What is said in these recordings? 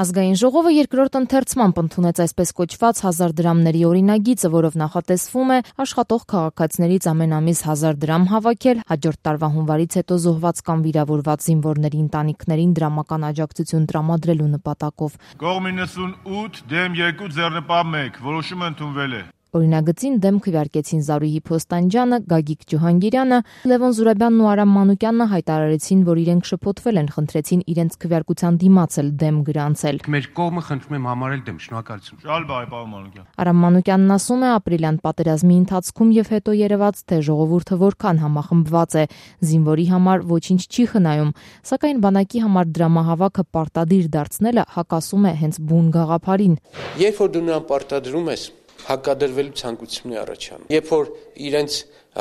Ազգային ժողովը երկրորդ ընթերցմամբ ընդունեց այսպես կոչված 1000 դրամների օրինագիծը, որով նախատեսվում է աշխատող քաղաքացիներից ամեն ամիս 1000 դրամ հավաքել, հաջորդ տարվա հունվարից հետո զոհված կամ վիրավորված զինվորների ընտանիքներին դրամական աջակցություն տրամադրելու նպատակով։ Կողմ 98 դեմ 2 ձեռնպահ 1 որոշումը ընդունվել է։ Օրինագծին դեմ քվեարկեցին Զարուհի Փոստանջյանը, Գագիկ Ջոհանգիրյանը, Լևոն Զուրաբյանն ու Արամ Մանուկյանը հայտարարեցին, որ իրենք շփոթվել են, խնդրեցին իրենց քվեարկության դիմաց էլ դեմ գրանցել։ Մեր կողմը խնդրում եմ համարել դեմ, շնորհակալություն։ Շալ բայ, պարոն Մանուկյան։ Արամ Մանուկյանն ասում է, ապրիլյան պատերազմի ընթացքում եւ հետո երևաց, թե ժողովուրդը որքան համախմբված է, զինվորի համար ոչինչ չի խնայում, սակայն բանակի համար դրամահավաքը պարտադիր դարձնելը հակասում է հենց բուն գաղափարին։ Երբ որ դու նրան պարտադրում ես, հակադրվելու ցանկություն է առաջանում։ Երբ որ իրենց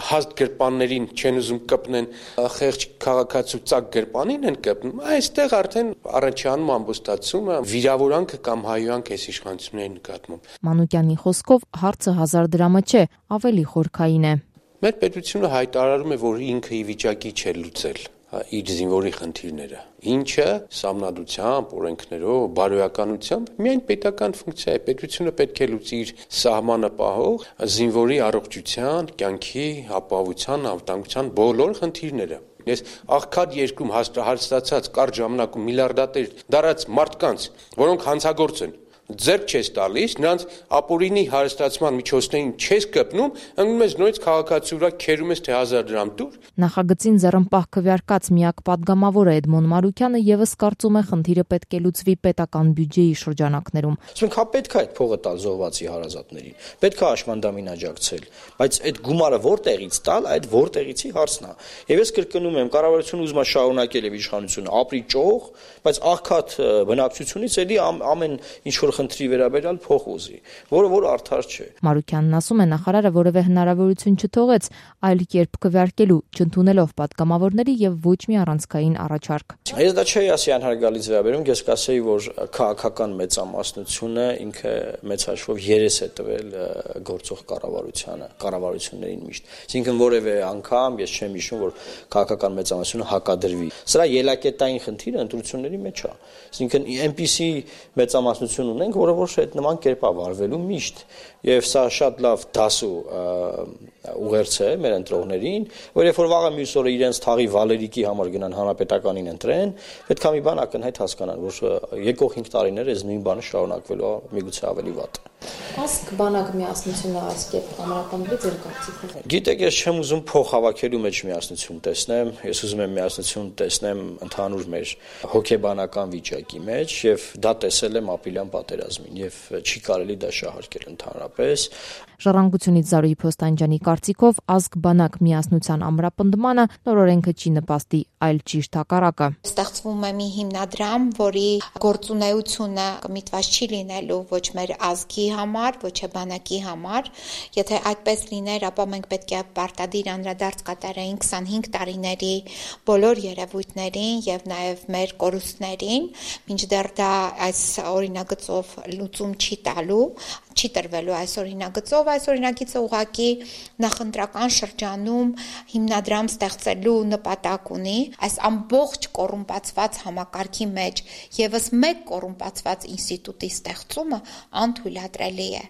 հաստ գրպաններին չեն ուզում կպնեն, խեղճ քաղաքացու ծակ գրպանին են կպնում, այստեղ արդեն առաջանում ամբոստացումը, վիրավորանքը կամ հայոյանք այս իշխանությունների նկատմամբ։ Մանուկյանի խոսքով հարցը 1000 դրամը չէ, ավելի խորքային է։ Մեր պետությունը հայտարարում է, որ ինքը ի վիճակի չէ լուծել իր զինվորի խնդիրները, ինչը սահմանադրությամբ, օրենքներով, բարոյականությամբ միայն պետական ֆունկցիա է, պետությունը պետք է լուծի իր սահմանը պահող զինվորի առողջության, կյանքի, ապահովության, անվտանգության բոլոր խնդիրները։ Ես աղքատ երկրում հաստատած կարճ ժամանակում միլիարդատեր դարած մարդկանց, որոնք հանցագործ են, ձեռք չես տալիս, նրանց ապօրինի հարստացման միջոցներին չես կպնում, ընկնում ես նույնիսկ քաղաքացու վրա քերում ես, թե 1000 դրամ տուր։ Նախագծին ձեռնպահ քվեարկած միակ պատգամավորը Էդմոն Մարուկյանը եւս կարծում է, խնդիրը պետք է լուծվի պետական բյուջեի շրջանակներում։ Ասենք, հա պետք է այդ փողը տալ զոհվածի հարազատներին, պետք է աշմանդամին աջակցել, բայց այդ գումարը որտեղից տալ, այդ որտեղիցի հարցն է։ Եվ ես կրկնում եմ, կառավարությունը ուզում է շարունակել եւ իշխանությունը ապրի ճոխ, բայց աղքատ բնակչությունից էլի ամեն ինչ որ խնդրի վերաբերյալ փող ուզի, որը արդար չէ։ Մարուկյանն ասում է, նախարարը որևէ հնարավորություն չթողեց այլ կերպ քվեարկելու, չընդունելով պատգամավորների եւ ոչ մի առանցքային առաջարկ։ Ես դա չէի ասի անհարգալից վերաբերում, ես կասեի, որ քաղաքական մեծամասնությունը ինքը մեծ հաշվով երես է տվել գործող կառավարություններին միշտ։ Այսինքն որևէ անգամ ես չեմ հիշում, որ քաղաքական մեծամասնությունը հակադրվի։ Սրա ելակետային խնդիրը ընտրությունների մեջ է։ Այսինքն այնպիսի մեծամասնություն ունենք, որը ոչ այդ նման կերպ է վարվելու միշտ, եւ սա շատ լավ դաս ու ուղերձ է մեր ընտրողներին, որ երբ որ վաղը մյուս օրը իրենց թաղի Վալերիկի համար գնան հանրապետականին ընտրեն, պետք է մի բան ակնհայտ հասկանան, որ եկող 5 տարիներ այս նույն բանը շարունակվելու է միգուցե ավելի վատ։ Ասք բանակ միասնությունը այս կերպ համապատասխանելի ձեր կարծիքով։ Գիտեք, ես չեմ ուզում փող հավաքելու մեջ միասնություն տեսնեմ, ես ուզում եմ միասնություն տեսնեմ ընդհանուր մեր հոգեբանական վիճակի մեջ, եւ դա տեսել եմ ապրիլյան պատերազմին, եւ չի կարելի դա շահարկել ընդհանրապես։ Ժառանգությունից Զարուհի Փոստանջյանի կարծիքով ազգ բանակ միասնության ամրապնդմանը նոր օրենքը չի նպաստի, այլ ճիշտ հակառակը։ Ստեղծվում է մի հիմնադրամ, որի գործունեությունը կմիտված չի լինելու ոչ մեր ազգի համար, ոչ է բանակի համար։ Եթե այդպես լիներ, ապա մենք պետք է պարտադիր անդրադարձ կատարեինք 25 տարիների բոլոր երևույթներին եւ նաեւ մեր կորուստներին, մինչդեռ դա այս օրինագծով լուծում չի տալու, չի տրվելու այս օրինագծով, այս օրինագիծը ուղղակի նախընտրական շրջանում հիմնադրամ ստեղծելու նպատակ ունի, այս ամբողջ կոռումպացված համակարգի մեջ եւս մեկ կոռումպացված ինստիտուտի ստեղծումը անթույլատրելի է։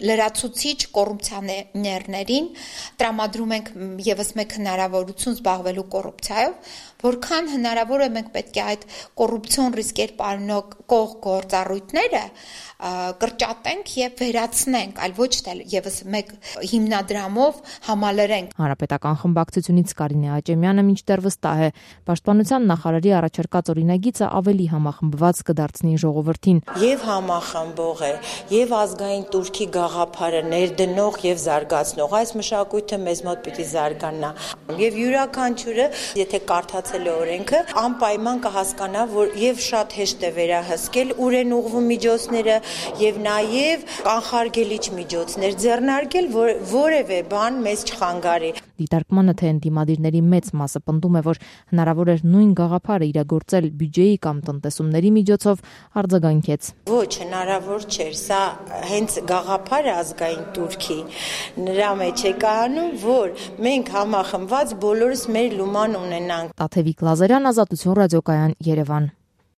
Լրացուցիչ կոռուպցիաներներին տրամադրում ենք եւս մեկ հնարավորություն զբաղվելու կոռուպցիայով, որքան հնարավոր է մենք պետք է այդ կոռուպցիոն ռիսկեր պարունակող գործառույթները կրճատենք եւ վերացնենք, այլ ոչ թե եւս մեկ հիմնադրամով համալրենք։ Հանրապետական խմբակցությունից Կարինե Աճեմյանը մինչդեռ վստահ է, պաշտպանության նախարարի առաջարկած օրինագիծը ավելի համախմբված կդարձնի ժողովրդին։ Եվ համախմբող է, եւ ազգային турքի գաղափարը ներդնող եւ զարգացնող այս մշակույթը մեզ մոտ պիտի զարգանա։ Եվ յուրաքանչյուրը, եթե կարդացել է օրենքը, անպայման կհասկանա, որ եւ շատ հեշտ է վերահսկել ուր են ուղղվում միջոցները եւ նաեւ կանխարգելիչ միջոցներ ձեռնարկել, որ որևէ բան մեզ չխանգարի։ Դիտարկմանը թե ընդդիմադիրների մեծ մասը պնդում է, որ հնարավոր էր նույն գաղափարը իրագործել բյուջեի կամ տնտեսումների միջոցով, արձագանքեց։ Ոչ, հնարավոր չէր, սա հենց գաղափարը ազգային турքի նրա մեջ է կահանում, որ մենք համախմբված բոլորս մեր լուման ունենանք։ Տաթևիկ Լազարյան, Ազատություն ռադիոկայան, Երևան։